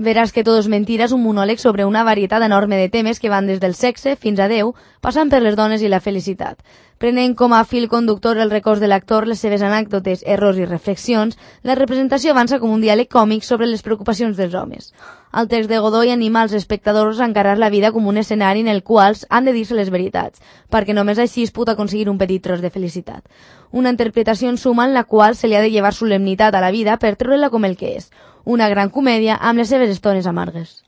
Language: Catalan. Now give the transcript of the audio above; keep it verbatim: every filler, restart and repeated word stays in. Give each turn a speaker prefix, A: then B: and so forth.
A: Veràs que Todo és mentira és un monòleg sobre una varietat enorme de temes que van des del sexe fins a Déu, passant per les dones i la felicitat. Prenent com a fil conductor el records de l'actor, les seves anècdotes, errors i reflexions, la representació avança com un diàleg còmic sobre les preocupacions dels homes. El text de Godoy anima als espectadors a encarar la vida com un escenari en el qual han de dir-se les veritats, perquè només així es pot aconseguir un petit tros de felicitat. Una interpretació en suma en la qual se li ha de llevar solemnitat a la vida per treure-la com el que és, una gran comèdia amb les seves estones amargues.